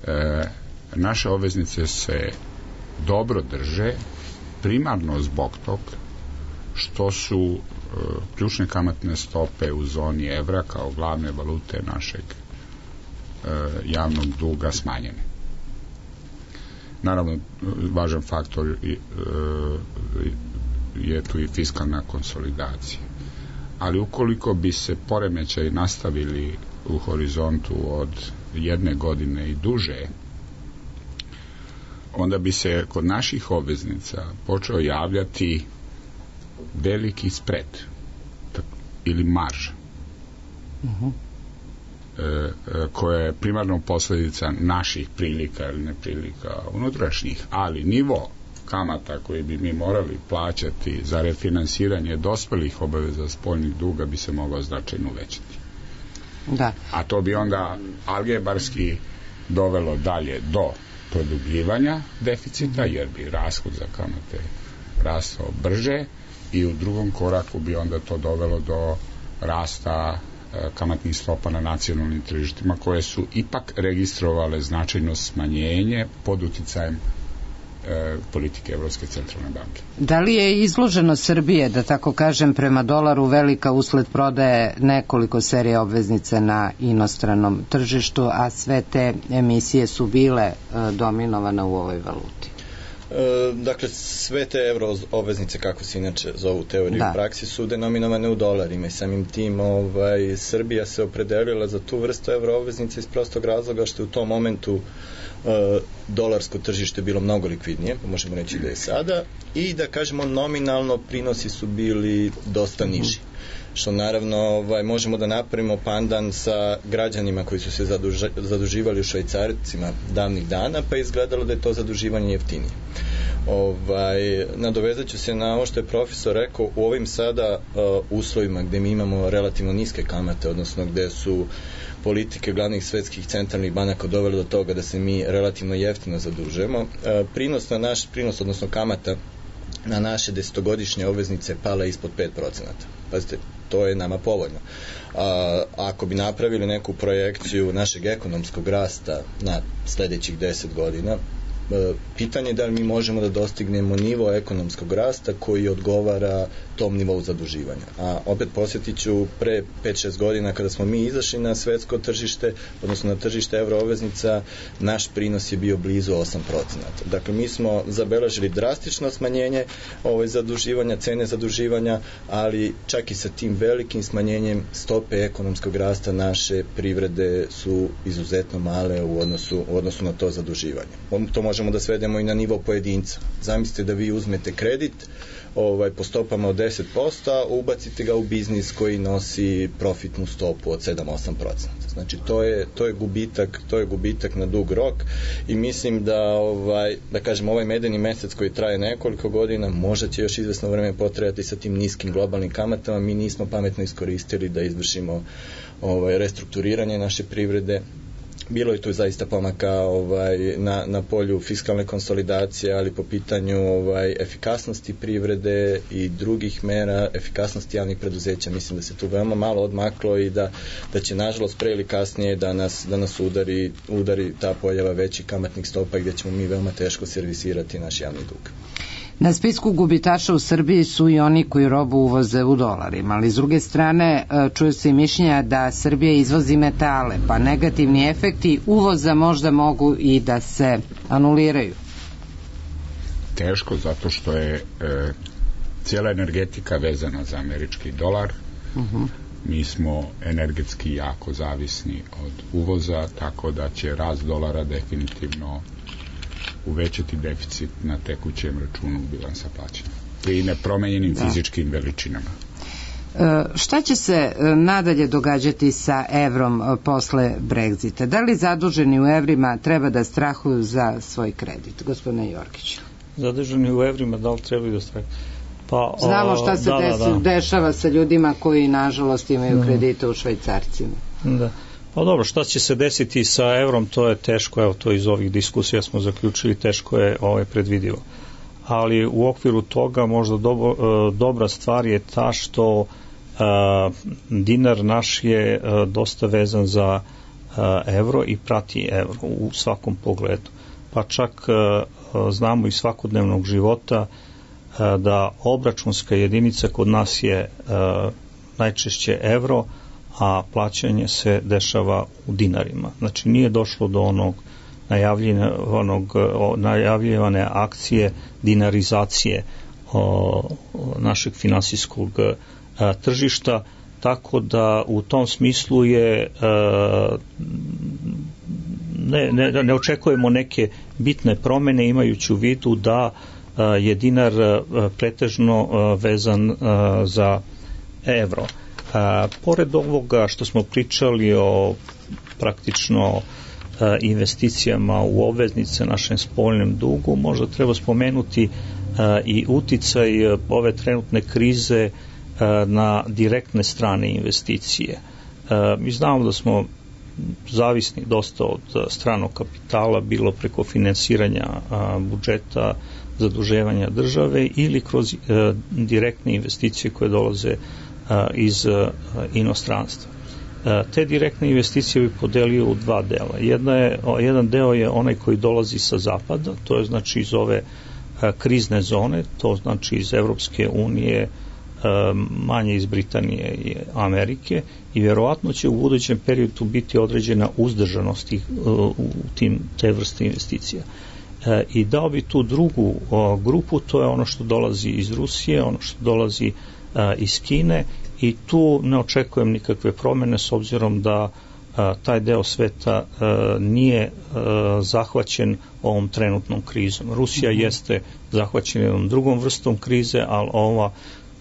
E, naše obveznice se dobro drže, primarno zbog tog što su e, ključne kamatne stope u zoni evra kao glavne valute našeg e, javnog duga smanjene. Naravno, važan faktor je, e, je tu i fiskalna konsolidacija. Ali ukoliko bi se poremećaji nastavili u horizontu od jedne godine i duže, onda bi se kod naših obveznica počeo javljati veliki spread ili marža uh-huh. e, koja je primarno posledica naših prilika ili neprilika unutrašnjih, ali nivo kamata koji bi mi morali plaćati za refinansiranje dospelih obaveza spoljnih duga bi se mogao značajno uvećati. Da. A to bi onda algebarski dovelo dalje do produbljivanja deficita, jer bi rashod za kamate rastao brže i u drugom koraku bi onda to dovelo do rasta e, kamatnih stopa na nacionalnim tržištima, koje su ipak registrovale značajno smanjenje pod uticajem e, politike Evropske centralne banke. Da li je izloženo Srbije, da tako kažem, prema dolaru velika usled prodaje nekoliko serija obveznice na inostranom tržištu, a sve te emisije su bile e, dominovane u ovoj valuti? E, dakle, sve te euro obveznice, kako se inače zovu u teoriji da. u praksi, su denominovane u dolarima i samim tim ovaj, Srbija se opredelila za tu vrstu euro obveznice iz prostog razloga što je u tom momentu e, dolarsko tržište bilo mnogo likvidnije, možemo reći da je sada, i da kažemo nominalno prinosi su bili dosta niži. Što naravno ovaj, možemo da napravimo pandan sa građanima koji su se zaduža, zaduživali u švajcarcima davnih dana, pa je izgledalo da je to zaduživanje jeftinije. Ovaj, nadovezat ću se na ovo što je profesor rekao, u ovim sada uh, uslovima gde mi imamo relativno niske kamate, odnosno gde su politike glavnih svetskih centralnih banaka dovele do toga da se mi relativno jeftino zadužujemo, uh, prinos na naš prinos, odnosno kamata na naše desetogodišnje obveznice pala ispod pet procenata. Pazite, to je nama povoljno. A, ako bi napravili neku projekciju našeg ekonomskog rasta na sledećih deset godina, pitanje je da li mi možemo da dostignemo nivo ekonomskog rasta koji odgovara tom nivou zaduživanja. A opet posjetit ću, pre pet šest godina kada smo mi izašli na svetsko tržište, odnosno na tržište evroobveznica, naš prinos je bio blizu osam procenata. Dakle, mi smo zabeležili drastično smanjenje ovaj, zaduživanja, cene zaduživanja, ali čak i sa tim velikim smanjenjem stope ekonomskog rasta naše privrede su izuzetno male u odnosu, u odnosu na to zaduživanje. To možemo da svedemo i na nivo pojedinca. Zamislite da vi uzmete kredit ovaj, po stopama od deset posto, a ubacite ga u biznis koji nosi profitnu stopu od sedam do osam procenata. Znači, to je, to je gubitak, to je gubitak na dug rok i mislim da, ovaj, da kažem, ovaj medeni mesec koji traje nekoliko godina, možda će još izvesno vreme potrebati sa tim niskim globalnim kamatama. Mi nismo pametno iskoristili da izvršimo ovaj, restrukturiranje naše privrede. Bilo je tu zaista pomaka ovaj, na, na polju fiskalne konsolidacije, ali po pitanju ovaj, efikasnosti privrede i drugih mera, efikasnosti javnih preduzeća, mislim da se tu veoma malo odmaklo i da, da će nažalost pre ili kasnije da nas, da nas udari, udari ta pojava većih kamatnih stopa gdje ćemo mi veoma teško servisirati naš javni dug. Na spisku gubitaša u Srbiji su i oni koji robu uvoze u dolarima, ali s druge strane čuje se i mišljenja da Srbija izvozi metale, pa negativni efekti uvoza možda mogu i da se anuliraju. Teško, zato što je e, cijela energetika vezana za američki dolar. Uh-huh. Mi smo energetski jako zavisni od uvoza, tako da će rast dolara definitivno uvećati deficit na tekućem računu bilansa plaćanja i nepromenjenim da. fizičkim veličinama. E, šta će se nadalje događati sa evrom posle Brexita? Da li zaduženi u evrima treba da strahuju za svoj kredit? Gospodine Jorgiću. Zaduženi u evrima, da li trebaju da strahuju? Pa, Znamo šta se da, desi, da, da. dešava sa ljudima koji nažalost imaju kredite u švajcarcima. Da. Pa dobro, šta će se desiti sa evrom, to je teško, evo to iz ovih diskusija smo zaključili, teško je ovaj, predvidivo. Ali u okviru toga možda dobro, dobra stvar je ta što a, dinar naš je a, dosta vezan za a, evro i prati evro u svakom pogledu. Pa čak a, znamo iz svakodnevnog života a, da obračunska jedinica kod nas je a, najčešće evro, a plaćanje se dešava u dinarima. Znači nije došlo do onog najavljenog, najavljivane akcije dinarizacije o, našeg finansijskog a, tržišta, tako da u tom smislu je a, ne, ne, ne očekujemo neke bitne promene imajući u vidu da a, je dinar a, pretežno a, vezan a, za evro. A, pored ovoga što smo pričali o praktično a, investicijama u obveznice, našem spoljnom dugu, možda treba spomenuti a, i uticaj a, ove trenutne krize a, na direktne strane investicije. A, mi znamo da smo zavisni dosta od stranog kapitala, bilo preko finansiranja a, budžeta, zaduževanja države ili kroz a, direktne investicije koje dolaze iz inostranstva. Te direktne investicije bi podelio u dva dela. Jedna je, jedan deo je onaj koji dolazi sa zapada, to je znači iz ove krizne zone, to znači iz Evropske unije, manje iz Britanije i Amerike, i vjerovatno će u budućem periodu biti određena uzdržanost u tim te vrste investicija. I dao bi tu drugu grupu, to je ono što dolazi iz Rusije, ono što dolazi iz Kine, i tu ne očekujem nikakve promjene s obzirom da a, taj deo sveta a, nije a, zahvaćen ovom trenutnom krizom. Rusija mm-hmm. jeste zahvaćena jednom drugom vrstom krize, ali ova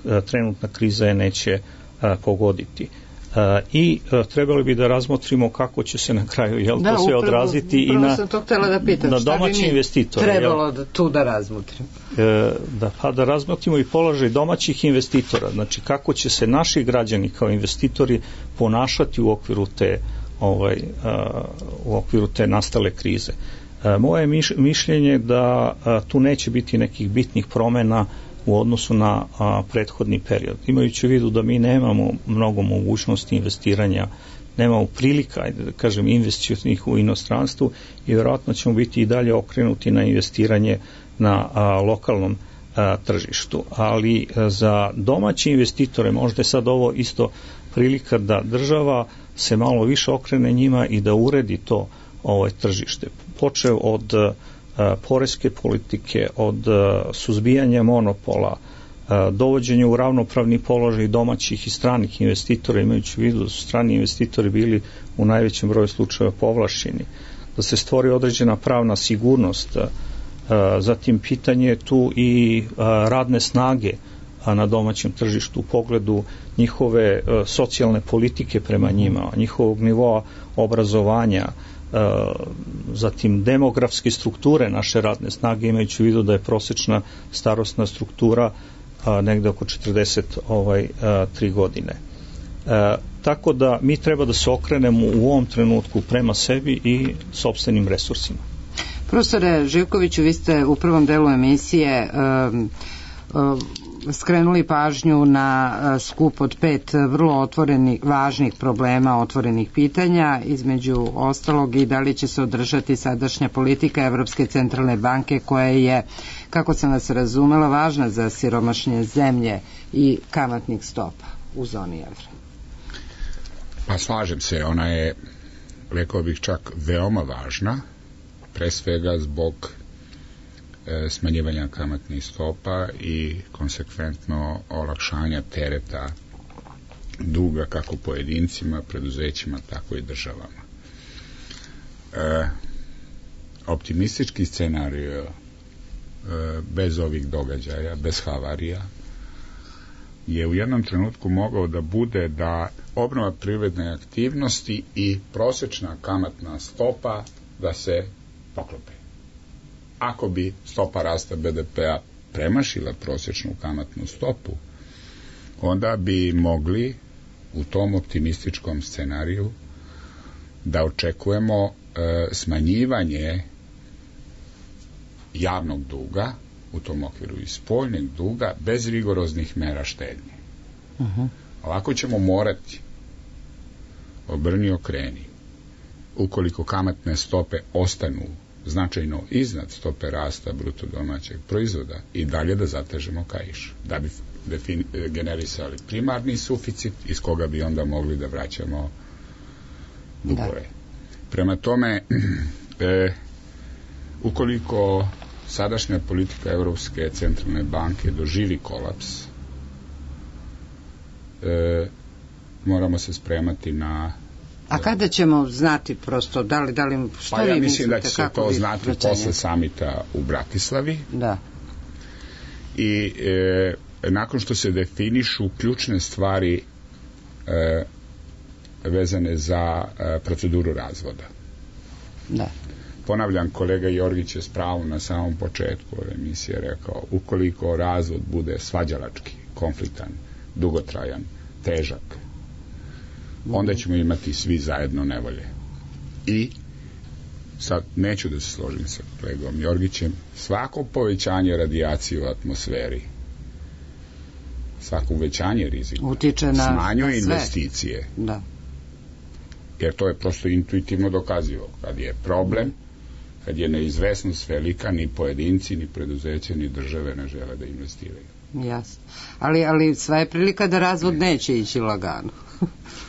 a, trenutna kriza je neće a, pogoditi. A, i a, trebali bi da razmotrimo kako će se na kraju jel, da, to sve upravo, odraziti i na, da pitam, na domaći investitore. Trebalo jel, da tu da razmotrimo. E, da, pa da razmotrimo i položaj domaćih investitora, znači kako će se naši građani kao investitori ponašati u okviru te, ovaj, a, u okviru te nastale krize. A, moje miš, mišljenje da a, tu neće biti nekih bitnih promjena u odnosu na a, prethodni period. Imajući u vidu da mi nemamo mnogo mogućnosti investiranja nemamo prilika, ajde da kažem, investicionih u inostranstvu i vjerojatno ćemo biti i dalje okrenuti na investiranje na a, lokalnom a, tržištu. Ali a, za domaće investitore možda je sad ovo isto prilika da država se malo više okrene njima i da uredi to ovaj tržište. Počeo od a, poreske politike, od a, suzbijanja monopola, a, dovođenja u ravnopravni položaj domaćih i stranih investitora, imajući u vidu da su strani investitori bili u najvećem broju slučajeva povlašćeni, da se stvori određena pravna sigurnost, a, a, zatim pitanje je tu i a, radne snage a, na domaćem tržištu u pogledu njihove a, socijalne politike prema njima, njihovog nivoa obrazovanja, zatim demografske strukture naše radne snage, imajući u vidu da je prosečna starosna struktura a, negde oko četrdeset tri godine. E, tako da mi treba da se okrenemo u ovom trenutku prema sebi i sopstvenim resursima. Profesore Živkoviću, vi ste u prvom delu emisije um, um, skrenuli pažnju na skup od pet vrlo otvorenih, važnih problema, otvorenih pitanja, između ostalog i da li će se održati sadašnja politika Evropske centralne banke koja je, kako sam vas razumela, važna za siromašne zemlje i kamatnih stopa u zoni evra. Pa slažem se, ona je, rekao bih čak, veoma važna, pre svega zbog smanjivanja kamatnih stopa i konsekventno olakšanja tereta duga kako pojedincima, preduzećima, tako i državama. E, optimistički scenarij e, bez ovih događaja, bez havarija, je u jednom trenutku mogao da bude da obnova privredne aktivnosti i prosečna kamatna stopa da se poklope. Ako bi stopa rasta be de pe-a premašila prosječnu kamatnu stopu, onda bi mogli u tom optimističkom scenariju da očekujemo e, smanjivanje javnog duga, u tom okviru i spoljnog duga, bez rigoroznih mera štednje. Uh-huh. Ovako ćemo morati, obrni okreni, ukoliko kamatne stope ostanu značajno iznad stope rasta bruto domaćeg proizvoda, i dalje da zatežemo kaiš, da bi defini- generisali primarni suficit iz koga bi onda mogli da vraćamo dugove. Da. Prema tome, e, ukoliko sadašnja politika Evropske centralne banke doživi kolaps, e, moramo se spremati na... A kada ćemo znati prosto, da li, da li, što pa vi ja mislite? mislim da će se to znati posle samita u Bratislavi. Da. I e, nakon što se definišu ključne stvari e, vezane za e, proceduru razvoda. Da. Ponavljam, kolega Jorgić je s pravom na samom početku ove emisije rekao, ukoliko razvod bude svađalački, konfliktan, dugotrajan, težak, onda ćemo imati svi zajedno nevolje. I sad neću da se složim sa kolegom Jorgićem, svako povećanje radijacije u atmosferi, svako uvećanje rizika utiče na smanjuje investicije. Da. Jer to je prosto intuitivno dokazivo. Kad je problem, kad je neizvesnost velika, ni pojedinci, ni preduzeće, ni države ne žele da investiraju. Jasno. Ali, ali sva je prilika da razvod neće ići lagano.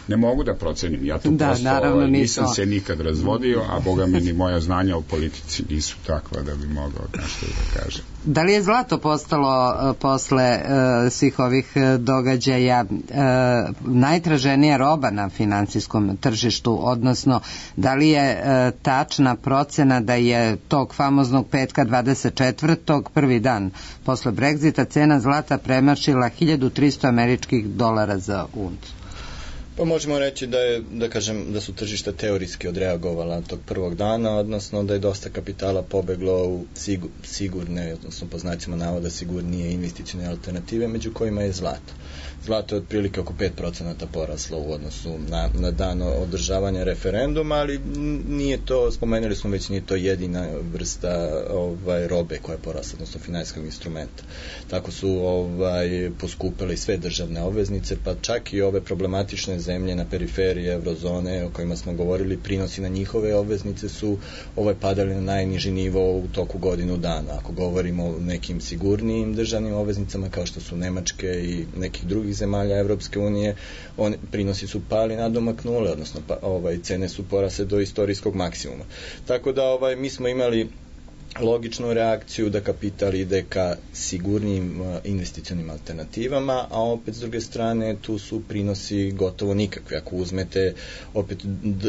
Ne mogu da procenim, ja to da, prosto naravno, ovaj, nisam nisam se nikad razvodio, a boga mi ni moja znanja o politici nisu takva da bi mogao nešto da kažem. Da li je zlato postalo uh, posle uh, svih ovih uh, događaja uh, najtraženija roba na finansijskom tržištu, odnosno da li je uh, tačna procena da je tog famoznog petka dvadeset četvrtog prvi dan posle Brexita cena zlata premašila hiljadu trista američkih dolara za uncu? Pa možemo reći da je, da kažem, da su tržišta teorijski odreagovala tog prvog dana, odnosno da je dosta kapitala pobeglo u sigur, sigurne, odnosno po znacima navoda sigurnije investicione alternative, među kojima je zlato. Zlato je otprilike oko pet procenata poraslo u odnosu na, na dan održavanja referenduma, ali nije to, spomenuli smo već, nije to jedina vrsta ovaj, robe koja je porasla, odnosno finansijskog instrumenta. Tako su ovaj, poskupile sve državne obveznice, pa čak i ove problematične zemlje na periferiji eurozone o kojima smo govorili, prinosi na njihove obveznice su ovaj padali na najniži nivo u toku godinu dana. Ako govorimo o nekim sigurnijim državnim obveznicama kao što su Nemačke i nekih drugih zemalja Evropske unije, on, prinosi su pali na domak nule, odnosno pa, ovaj, cene su porasle do istorijskog maksimuma. Tako da ovaj, mi smo imali logičnu reakciju da kapital ide ka sigurnijim investicionim alternativama, a opet s druge strane tu su prinosi gotovo nikakvi. Ako uzmete opet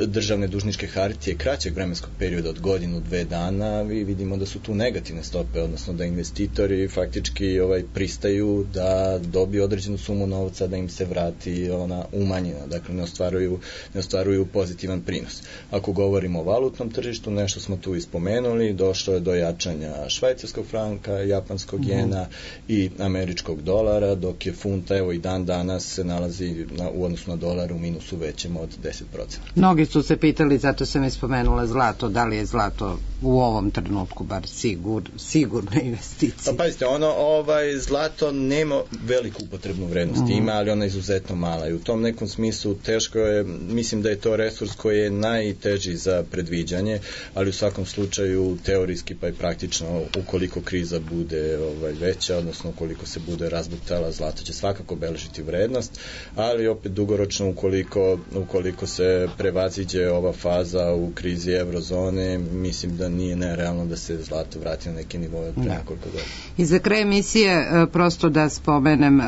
državne dužničke hartije kraćeg vremenskog perioda od godinu, dve dana, vi vidimo da su tu negativne stope, odnosno da investitori faktički ovaj, pristaju da dobiju određenu sumu novca da im se vrati ona umanjena, dakle ne ostvaruju, ne ostvaruju pozitivan prinos. Ako govorimo o valutnom tržištu, nešto smo tu ispomenuli, došlo je do jačanja švajcarskog franka, japanskog jena mm. i američkog dolara, dok je funta evo i dan danas se nalazi na, u odnosu na dolar u minusu većem od deset posto. Mnogi su se pitali, zato sam ispomenula zlato, da li je zlato u ovom trenutku bar sigur, sigurna investicija. Pa pazite, ono, ovaj, zlato nema veliku upotrebnu vrednost, mm. ima, ali ona je izuzetno mala i u tom nekom smislu teško je, mislim da je to resurs koji je najteži za predviđanje, ali u svakom slučaju teorijski pa i praktično ukoliko kriza bude ovaj, veća, odnosno ukoliko se bude razbuktala, zlato će svakako beležiti vrednost, ali opet dugoročno ukoliko, ukoliko se prevaziđe ova faza u krizi eurozone, mislim da nije nerealno da se zlato vrati na neke nivoje pre nekoliko godina. I za kraj emisije, prosto da spomenem,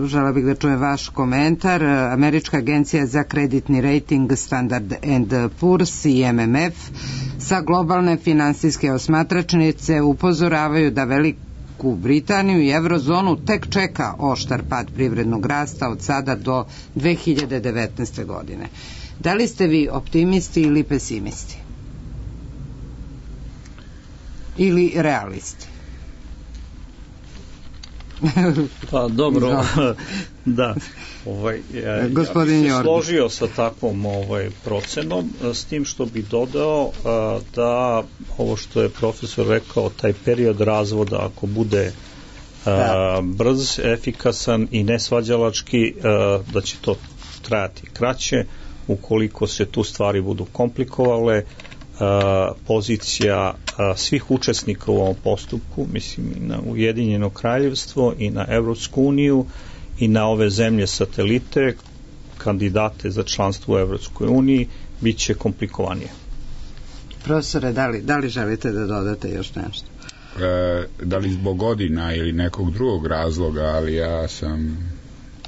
žela bih da čujem vaš komentar, Američka agencija za kreditni rating Standard and Poor's i M M F sa globalne finansijske osmatračnice upozoravaju da Veliku Britaniju i eurozonu tek čeka oštar pad privrednog rasta od sada do dve hiljade devetnaeste. godine. Da li ste vi optimisti ili pesimisti? Ili realisti? Pa dobro, da. Ovaj, ja, ja bih se složio sa takvom ovaj, procenom, s tim što bi dodao a, da ovo što je profesor rekao, taj period razvoda, ako bude a, brz, efikasan i nesvađalački, a, da će to trajati kraće, ukoliko se tu stvari budu komplikovale, a, pozicija a, svih učesnika u ovom postupku, mislim i na Ujedinjeno kraljevstvo i na Evropsku uniju i na ove zemlje satelite, kandidate za članstvo u Evropskoj uniji, bit će komplikovanije. Profesore, da li, da li želite da dodate još nešto? E, da li zbog godina ili nekog drugog razloga, ali ja sam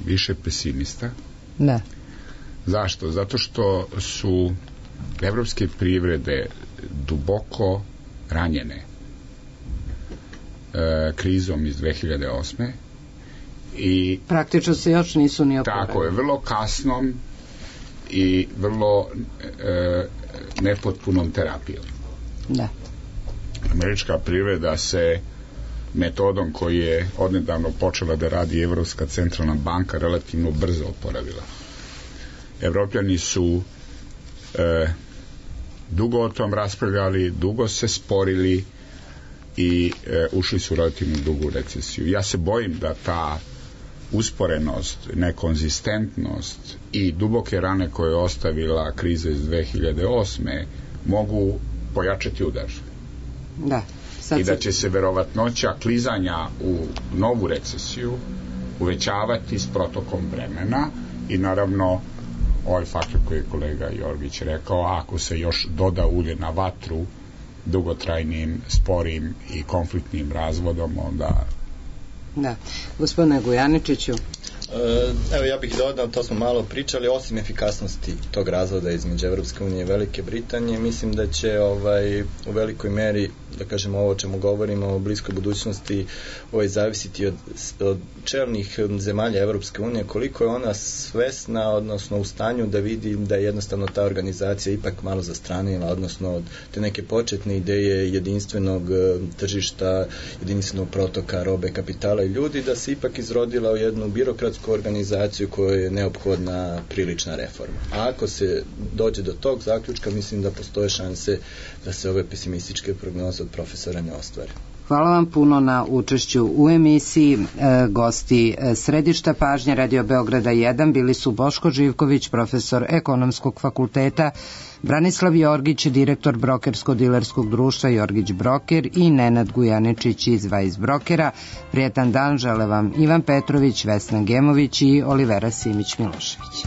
više pesimista. Ne. Zašto? Zato što su evropske privrede duboko ranjene e, krizom iz dve hiljade osme. I praktično se još nisu ni oporavili. Tako je, vrlo kasnom i vrlo e, nepotpunom terapijom. Da. Američka privreda se metodom koji je odnedavno počela da radi Evropska centralna banka relativno brzo oporavila. Evropljani su e, dugo o tom raspravljali, dugo se sporili i e, ušli su relativno dugu recesiju. Ja se bojim da ta usporenost, nekonzistentnost i duboke rane koje je ostavila kriza iz dve hiljade osme mogu pojačati udar. Da. I da će se verovatnoća klizanja u novu recesiju uvećavati s protokom vremena i naravno ovaj faktor koji je kolega Jorgić rekao, ako se još doda ulje na vatru dugotrajnim, sporim i konfliktnim razvodom, onda... Da. Gospodine Gujaničiću. Evo, ja bih dodao, to smo malo pričali, osim efikasnosti tog razvoda između Evropske unije i Velike Britanije, mislim da će ovaj, u velikoj meri, da kažemo ovo o čemu govorimo o bliskoj budućnosti, ovaj, zavisiti od, od čelnih zemalja Evropske unije, koliko je ona svesna, odnosno u stanju da vidi da je jednostavno ta organizacija ipak malo zastranila, odnosno od te neke početne ideje jedinstvenog tržišta, jedinstvenog protoka robe, kapitala i ljudi, da se ipak izrodila u jednu birokratsku organizaciju kojoj je neophodna prilična reforma. A ako se dođe do tog zaključka, mislim da postoje šanse da se ove pesimističke prognoze od profesora ne ostvare. Hvala vam puno na učešću u emisiji. E, gosti središta pažnje Radio Beograda jedan bili su Boško Živković, profesor Ekonomskog fakulteta, Branislav Jorgić, direktor brokersko-dilerskog društva Jorgić Broker i Nenad Gujaničić iz Vajs Brokera. Prijetan dan žele vam Ivan Petrović, Vesna Gemović i Olivera Simić Milošević.